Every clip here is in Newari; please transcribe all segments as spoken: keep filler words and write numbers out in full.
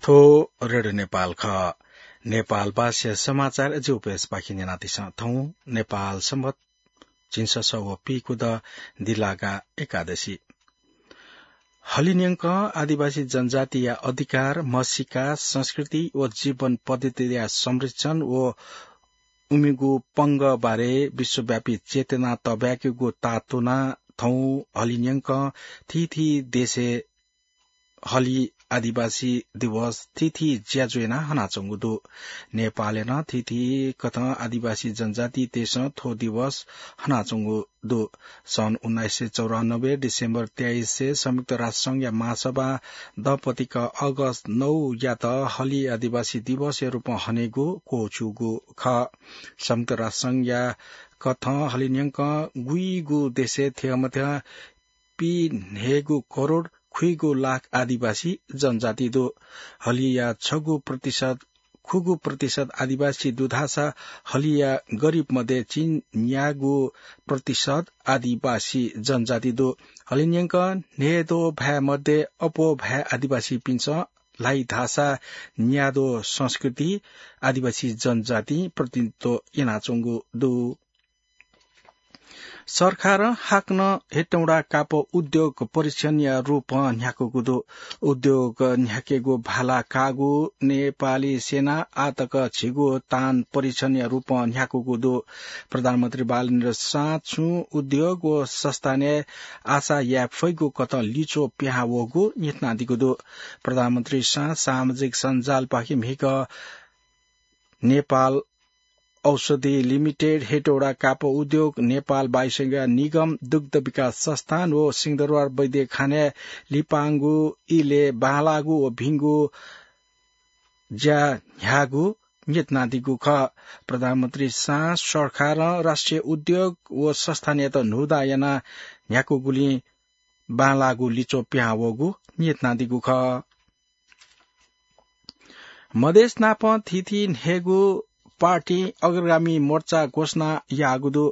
थ्व रेडियो नेपाल खः। नेपाल भाषा समाचार जिउपेसपाखे न्यनादिसँ। थौं नेपाल संवत झिंससः व पीकुद दिलागा एकादशी। हलिन्यंकं आदिवासी जनजातिया अधिकार, म्हसीका, संस्कृति व जीवन पद्धतिया संरक्षण व उमिगु पंगः बारे विश्वव्यापी चेतना तब्याकेगु तातुना थौं हलिन्यंकं थीथी देशय् हलि आदिवासी दिवस थीथी ज्याझ्वः यानाः हनाच्वंगु दु। नेपालय् नं थीथी कथं आदिवासी जनजाति देशं थ्व दिवस हनाच्वंगु दु। सन् उन्नाइस सय चौरानब्बे डिसेम्बर तेइस संयुक्त राष्ट्र संघया महासभा दम्पतिक अगस्त नौ यात हलि आदिवासी दिवसया रूपं हनेगु क्वःछ्यूगु खः। संयुक्त राष्ट्र संघया कथं हलिन्यंकं गुइगु देशय् थ्यंमथ्यं पीन्हय्गू करोड खुइगू लाख आदिवासी जनजाति दु। हलिया छगू प्रतिशत, खुगू प्रतिशत आदिवासी दु धाःसा हलिया गरिब मध्ये चिन्यागू प्रतिशत आदिवासी जनजाति दु। हलिन्यंकं न्हय्दो भाय् मध्ये अप्वः भाय् आदिवासीपिन्सं ल्हाइ धाःसा न्यादो संस्कृति आदिवासी जनजातिं प्रतिनिधित्व यानाच्वंगु दु। सरकारं हाकनं हेटौडा कापः उद्योग परीक्षणया रूपं न्ह्याकूगु दु। उद्योग न्ह्याकेगु भाला काःगु नेपाली सेनां आःतक झिगू तान परीक्षणया रूपं न्ह्याकूगु दु। प्रधानमन्त्री बालेन्द्र शाहं छुं उद्योग व संस्थानय् आशा याये फइगु कथं लिच्वः पिहां वःगु न्ह्यथनादीगु दु। प्रधानमन्त्री शाहं सामाजिक सञ्जालपाखे म्हिगः नेपाल औषधि लिमिटेड, हेटौडा कापः उद्योग, नेपाल वायुसेवा निगम, दुग्ध विकास संस्थान व सिंहदरबार वैद्यखानाय् लिपांगु इलय् बांलाःगु व भिंगु ज्या न्ह्याःगु न्ह्यथनादीगु खः। प्रधानमन्त्री शाहं सरकारं राष्ट्रिय उद्योग व संस्थानयात न्हूदँ यानाः न्ह्याकूगुलिं बांलाःगु लिच्वः पिहां वःगु न्ह्यथनादीगु खः। मधेस नापं थीथी न्हय्गू पार्टी अग्रगामी मोर्चा घोषणा याःगु दु।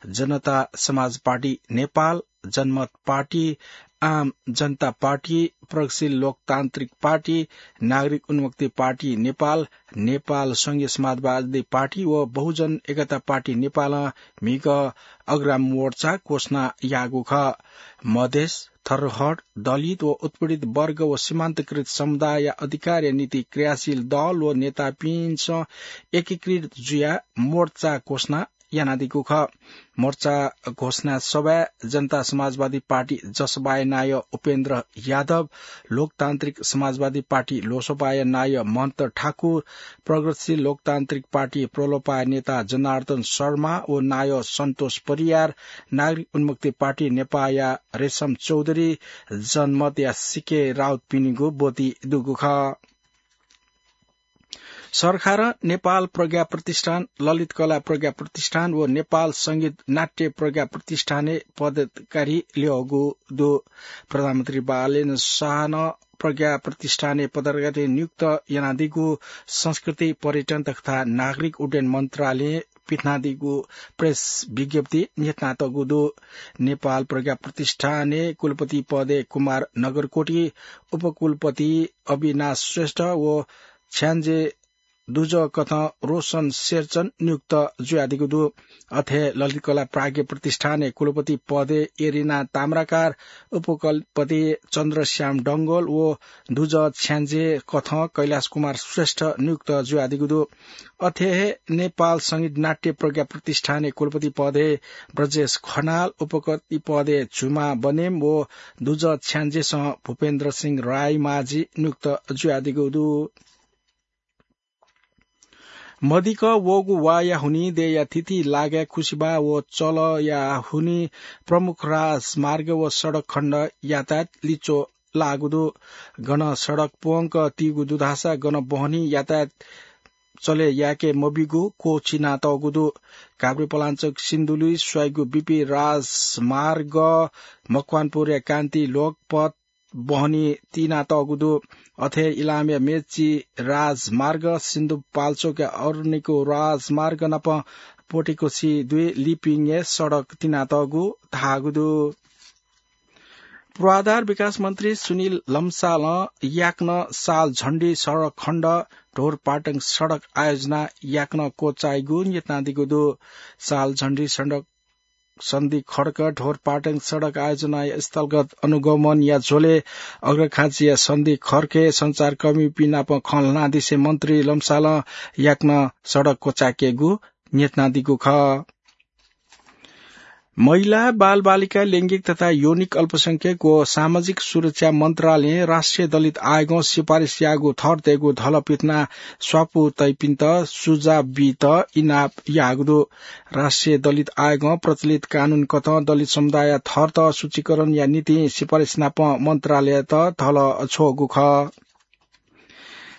जनता समाज पार्टी नेपाल, जनमत पार्टी, आम जनता पार्टी, प्रगतिशील लोकतान्त्रिक पार्टी, नागरिक उन्मुक्ति पार्टी नेपाल, नेपाल संघीय समाजवादी पार्टी व बहुजन एकता पार्टी नेपालं म्हिगः अग्रगामी मोर्चा घोषणा याःगु खः। मधेस, थरहर, दलित व उत्पीडित वर्ग व सीमान्तकृत समुदायया अधिकारया निंतिं क्रियाशील दल व नेतापिन्सं एकीकृत जुयाः मोर्चा घोषणा यानादीगु खः। मोर्चा घोषणा सभाय् जनता समाजवादी पार्टी जसपाया नायः उपेन्द्र यादव, लोकतान्त्रिक समाजवादी पार्टी लोसपाया नायः महन्त ठाकुर, प्रगतिशील लोकतान्त्रिक पार्टी प्रलोपाया नेता जनार्दन शर्मा व नायः सन्तोष परियार, नागरिक उन्मुक्ति पार्टी नेपाया रेशम चौधरी, जनमतया सिके राउतपिनिगु ब्वति दुगु खः। सरकारं नेपाल प्रज्ञा प्रतिष्ठान, ललित कला प्रज्ञा प्रतिष्ठान व नेपाल संगीत नाट्य प्रज्ञा प्रतिष्ठानय् पदाधिकारी ल्यःगु दु। प्रधानमन्त्री बालेन्द्र शाहं प्रज्ञा प्रतिष्ठानय् पदाधिकारी नियुक्त यानादीगु संस्कृति, पर्यटन तथा नागरिक उड्डयन मन्त्रालयं पिथनादीगु प्रेस विज्ञप्ति न्ह्यथनातःगु दु। नेपाल प्रज्ञा प्रतिष्ठानय् कुलपति पदय् कुमार नगरकोटी, उपकुलपति अविनाश श्रेष्ठ व छ्याञ्जे दुजः कथं रोशन शेरचन नियुक्त जुयादीगु दु। अथे ललित कला प्राज्ञ प्रतिष्ठानय् कुलपति पदय् एरिना ताम्राकार, उपकुलपति चन्द्रश्याम डंगोल व दुजः छ्याञ्जे कथं कैलाश कुमार श्रेष्ठ नियुक्त जुयादीगु दु। अथे हे नेपाल संगीत नाट्य प्रज्ञा प्रतिष्ठानय् कुलपति पदय् ब्रजेश खनाल, उपकुलपति पदय् झुमा बनेम व दुजः छ्याञ्जेसं भूपेन्द्र सिंह रायमाझी नियुक्त जुयादीगु दु। मदिक्क वःगु वाःया हुनिं देय्‌या थीथी लागाय् खुसिबाः व चलःया हुनिं प्रमुख राजमार्ग व सडक खण्ड यातायात लिच्वः लाःगु दु। गन सडक प्वंक तीगु दु धाःसा गन बहनी यातायात चले याके मबीगु क्वःछिनातःगु दु। काभ्रेपलाञ्चोक सिन्धुली स्वइगु बीपी राजमार्ग मकवानपुरया कान्ति लोकपथ बहनी तिनातःगु दु। अथे इलामया मेची राजमार्ग, सिन्धुपाल्चोकया अरनिको राजमार्ग नाप पोटेकोसी दुई लिपिङय् सडक तिनातःगु धाःगु दु। पूर्वाधार विकास मन्त्री सुनिल लम्सालं याकनं साल झण्डी सडक खण्ड ढोरपाटन सडक आयोजना याकनं क्वचाइगु न्यतादीगु दु। साल झण्डी सडक सन्धि खड्क ढोरपाटन सडक आयोजनाया स्थलगत अनुगमनया झ्वलय् अग्रखाँचीया सन्धि खड्कय् सञ्चारकर्मीपिं नाप खँ ल्हानादिसे मन्त्री लम्सालं याकनं सडक क्वचायेकेगु न्यतादीगु खः। महिला, बालबालिका, लैंगिक तथा यौनिक अल्पसंख्यक व सामाजिक सुरक्षा मन्त्रालयं राष्ट्रिय दलित आयोगं सिफारिस याःगु थरतय्गु धलपिथना स्वापू तइपिन्त सुझाव बीत इनाप याःगु दु। राष्ट्रिय दलित आयोगं प्रचलित कानून कथं दलित समुदाय थरत सूचीकरणया निंतिं सिफारिस नाप मन्त्रालयत धल छ्वःगु खः।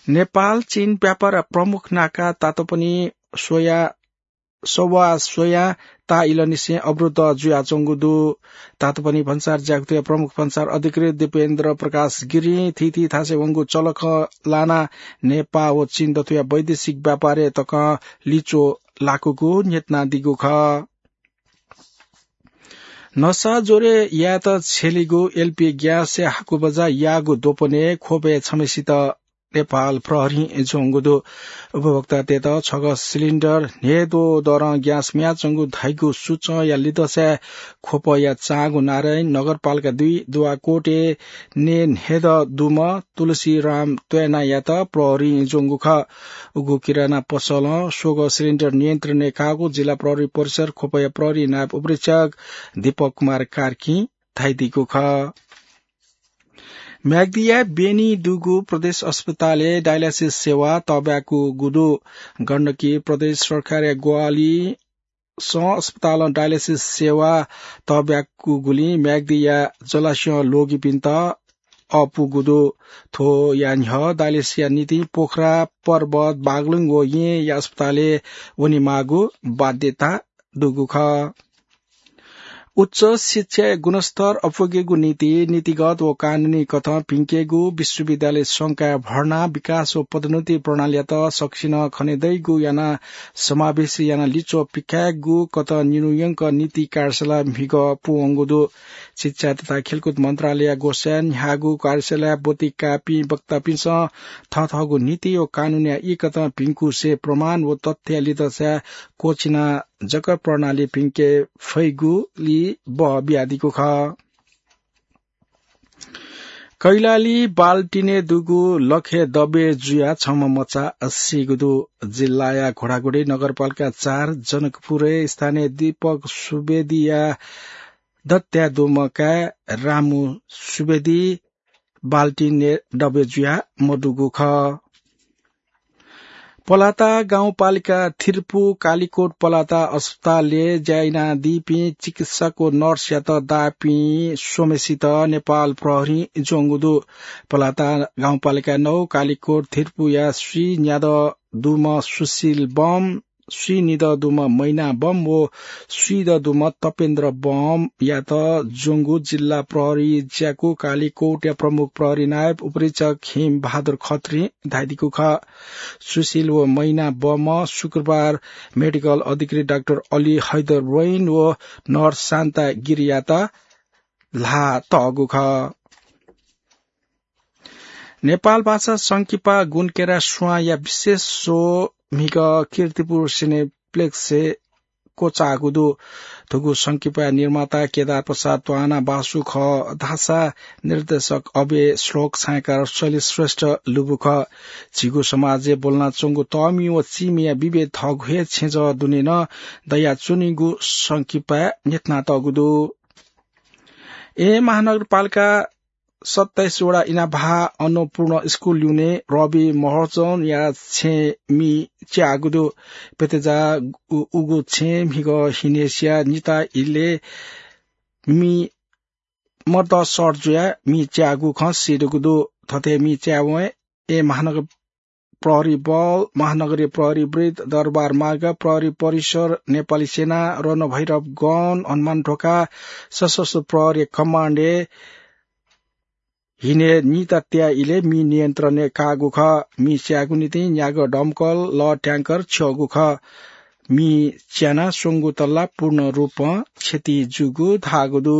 नेपाल चीन व्यापार प्रमुख नाका तातोपनि स्वया सवा स्वयां ताःइलंनिसें अवरुद्ध जुयाच्वंगु दु। तातोपनि भन्सार ज्याकुथया प्रमुख भन्सार अधिकृत दीपेन्द्र प्रकाश गिरिं थीथी थासय् वंगु चलखँ लानाः नेपाः व चीन दथुया वैदेशिक व्यापारय् तकं लिच्वः लाकूगु न्ह्यथनादीगु खः। नसा ज्वरय् यायेत छ्यलीगु एलपी ग्यासय् हाकुबजा याःगु द्वपनय् ख्वपय् छम्हेसित नेपाल प्रहरीं ज्वंगु दु। उपभोक्तातय्त छगः सिलिन्डर न्हय्द्वः दरं ग्यास म्याच्वंगु धाइगु सूचंया लिधंसाय् ख्वपया चांगु नारायणी नगरपालिका दुई दुवाकोटय् नये न्हय्दँ दुम्ह तुलसीराम त्वय्नायात प्रहरीं ज्वंगु खः। उगु किराना पसलं स्वगः सिलिन्डर नियन्त्रणय् काःगु जिल्ला प्रहरी परिसर ख्वपया प्रहरी नायब उपरीक्षक दीपक कुमार कार्कीं धयादीगु खः। म्याग्दीया बेनी दुगु प्रदेश अस्पतालय् डायलासिस सेवा तःब्याकूगु दु। गण्डकी प्रदेश सरकारया ग्वाहालिसं अस्पतालं डायलासिस सेवा तःब्याकूगुलिं म्याग्दीया जलास्यं ल्वःगीपिन्त अःपुगु दु। थ्वया न्ह्यः डायलासिसया निंतिं पोखरा, पर्वत, बागलुङ व येँया अस्पतालय् वनेमाःगु बाध्यता दुगु खः। उच्च शिक्षाया गुणस्तर अप्वयेकेगु निंतिं नीतिगत व कानूनी कथं भिंकेगु विश्वविद्यालय संकाय भर्ना, विकास व पदोन्नति प्रणालीयात सकसिनं खनेदइगु यानाः समावेशी यानाः लिच्वः पिकायेगु कथं निन्हुयंक नीति कार्यशाला म्हिगः पूवंगु दु। शिक्षा तथा खेलकुद मन्त्रालयया ग्वसाय् न्ह्याःगु कार्यशालाय् ब्वति काःपिं वक्तापिन्सं थःथःगु नीति व कानूनया ई कथं भिंकुसे प्रमाण व तथ्यया लिधंसाय् क्वःछिनाः जक प्रणाली भिंके फइगुली बः बियादीगु खः। कैलाली बाल्टिनय् दुगु लखय् दबे जुयाः छम्ह मचा सीगु दु। जिल्लाया घोडाघोडी नगरपालिका चार जनकपुरय् स्थानीय दीपक सुवेदीया दत्या दुम्ह काय् रामु सुवेदी बाल्टिनय् दबे जुयाः मदुगु खः। पलाता गाउँपालिका थिर्पु कालीकोट पलाता अस्पतालय् ज्या यानादीपिं चिकित्सक व नर्सयात दाःपिं स्वम्हेसित नेपाल प्रहरीं ज्वंगु दु। पलाता गाउँपालिका नौ कालीकोट थिर्पुया स्वीन्यादँ दुम्ह सुशील बम, स्वीनिदँ दुम्ह मैना बम व स्वीदँ दुम्ह तपेन्द्र बमयात ज्वंगु जिल्ला प्रहरी ज्याकू कालीकोटया प्रमुख प्रहरी नायब उपरीक्षक हिम बहादुर खत्रीं धयादीगु खः। सुशील व मैना बमं शुक्रबार मेडिकल अधिकृत डाक्टर अली हैदर वैन व नर्स शान्ता गिरीयात ल्हाः तःगु खः। नेपाल भाषा संकिपा गुणकेरा स्वांया विशेष शो म्हिगः कीर्तिपुर सिनेप्लेक्सय् क्वचाःगु दु। थुगु संकिपाया निर्माता केदार प्रसाद त्वाना बासु खः धाःसा निर्देशक अभय श्लोक, छायाकार शैलेश श्रेष्ठ लुबु खः। झीगु समाजय् ब्वलनाच्वंगु तःमि व चीमिया विभेद थःगु हे छेँजः दुने नं दयाच्वनीगु संकिपाय् न्ह्यथनातःगु दु। येँ महानगरपालिका सत्ताइस वडा इनाभाः अन्नपूर्ण स्कुल ल्यूने रवि महर्जनया छेँय् मि च्याःगु दु। प्यतेजा उ-, उगु छेँय् म्हिगः हिनेसिया निता इलय् मि मर्दसर जुयाः मि च्याःगु खँ सीदुगु दु। थथे मि च्यायेवं येँ महानगर प्रहरी बल, महानगरीय प्रहरी वृत्त, दरबार मार्ग, प्रहरी परिसर, नेपाली सेना, रणभैरव गन, हनुमान ढोका, सशस्त्र प्रहरी कमान्डय् हिने निता त्याः इलय् मि नियन्त्रणय् काःगु खः। मि स्यायेगु निंतिं न्यागः दमकल, लः ट्याङ्कर छ्यःगु खः। मि च्यानाः स्वंगू तल्ला पूर्ण रूपं क्षति जूगु धाःगु दु।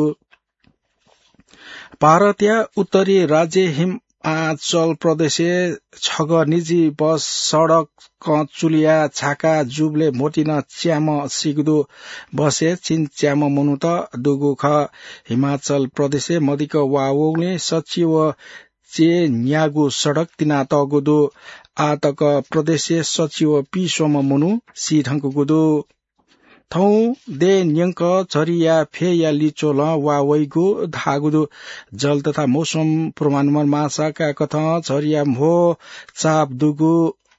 भारतया उत्तरी राज्य हिमाचल प्रदेशय् छगः निजी बस सडकं चुलिया झाका जूबलय् म्होतिं च्याम्ह सीगु दु। बसय् चिन्च्याम्ह मनूत दुगु खः। हिमाचल प्रदेशय् मदिक्क वा वंगुलिं सच्छि व च्यय् न्यागू सडक तिनातःगु दु। आः तक प्रदेशय् सच्छि व पीस्वम्ह मनू सी धुंकूगु दु। थौं दँय् न्यंक झरीया फ्यःया लिच्वलं वा वइगु धाःगु दु। जल तथा मौसम पूर्वानुमान महाशाखाकथं झरीया म्हो चाप दुगु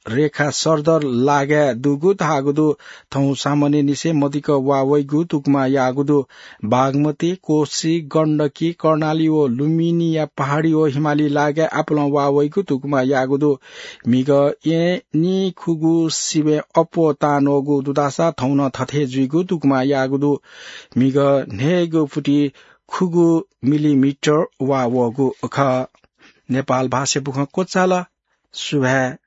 रेखा सरदर लागाय् दुगु धाःगु दु। थौं सामान्यनिसें मदिक्क वा वइगु तुकुमा याःगु दु। बागमती, कोसी, गण्डकी, कर्णाली व लुम्बिनीया पहाडी व हिमाली लागाय् आपालं वा वइगु तुकुमा याःगु दु। म्हिगः येँ निखुगू सिबें अप्वः तांन्वःगु दुधासा थौं नं थथे जुइगु तुकुमा याःगु दु। म्हिगः न्हय्गू फुति खुगू मिलिमिटर वा वःगु खः। नेपाल भाषा बुखँ क्वचाल। सुभाय्।